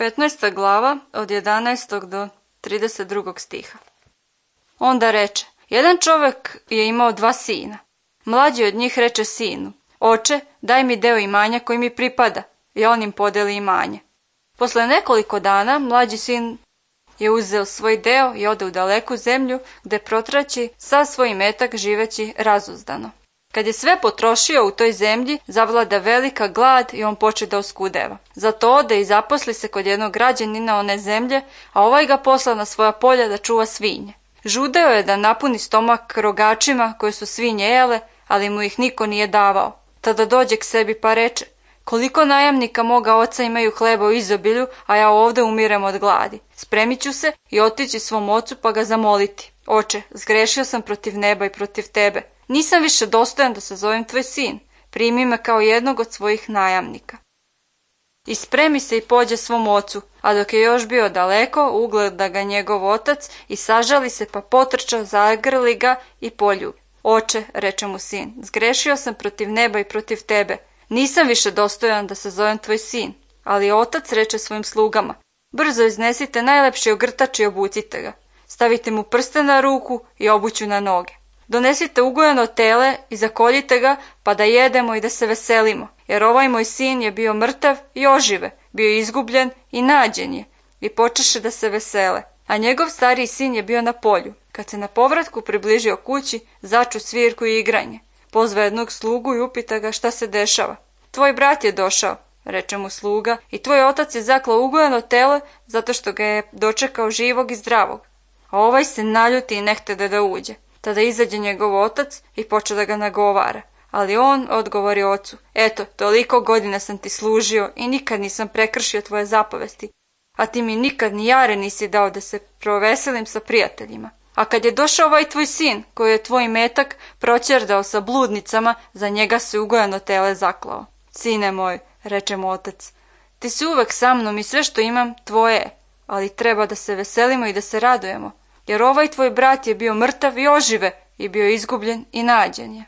15. glava od 11. do 32. stiha. Onda reče, jedan čovjek je imao 2 sina. Mlađi od njih reče sinu, oče, daj mi deo imanja koji mi pripada, i on im podeli imanje. Posle nekoliko dana mlađi sin je uzeo svoj deo i ode u daleku zemlju, gde protraći sav svoj imetak živeći razuzdano. Kad je sve potrošio u toj zemlji, zavlada velika glad i on poče da oskudeva. Zato ode i zaposli se kod jednog građanina one zemlje, a ovaj ga posla na svoja polja da čuva svinje. Žudeo je da napuni stomak rogačima koje su svinje jele, ali mu ih niko nije davao. Tada dođe k sebi pa reče, koliko najamnika moga oca imaju hleba u izobilju, a ja ovde umirem od gladi. Spremit ću se i otići svom ocu pa ga zamoliti. Oče, zgrešio sam protiv neba i protiv tebe. Nisam više dostojan da se zovem tvoj sin. Primi me kao jednog od svojih najamnika. I spremi se i pođe svom ocu, a dok je još bio daleko, ugleda ga njegov otac i sažali se pa potrča, zagrli ga i poljubi. Oče, reče mu sin, zgrešio sam protiv neba i protiv tebe. Nisam više dostojan da se zovem tvoj sin. Ali otac reče svojim slugama, brzo iznesite najlepši ogrtač i obucite ga. Stavite mu prste na ruku i obuću na noge. Donesite ugojeno tele i zakoljite ga, pa da jedemo i da se veselimo, jer ovaj moj sin je bio mrtav i ožive, bio izgubljen i nađen je, i počeše da se vesele. A njegov stariji sin je bio na polju. Kad se na povratku približio kući, začu svirku i igranje. Pozva jednog slugu i upita ga šta se dešava. Tvoj brat je došao, reče mu sluga, i tvoj otac je zaklao ugojeno tele zato što ga je dočekao živog i zdravog. A ovaj se naljuti i nehtede da uđe. Tada izađe njegov otac i poče da ga nagovara. Ali on odgovori ocu, eto, toliko godina sam ti služio i nikad nisam prekršio tvoje zapovesti, a ti mi nikad ni jare nisi dao da se proveselim sa prijateljima. A kad je došao ovaj tvoj sin, koji je tvoj metak proćerdao sa bludnicama, za njega se ugojeno tele zaklao. Sine moj, reče mu otac, ti si uvek sa mnom i sve što imam tvoje je, ali treba da se veselimo i da se radujemo, jer ovaj tvoj brat je bio mrtav i ožive i bio izgubljen i nađen je.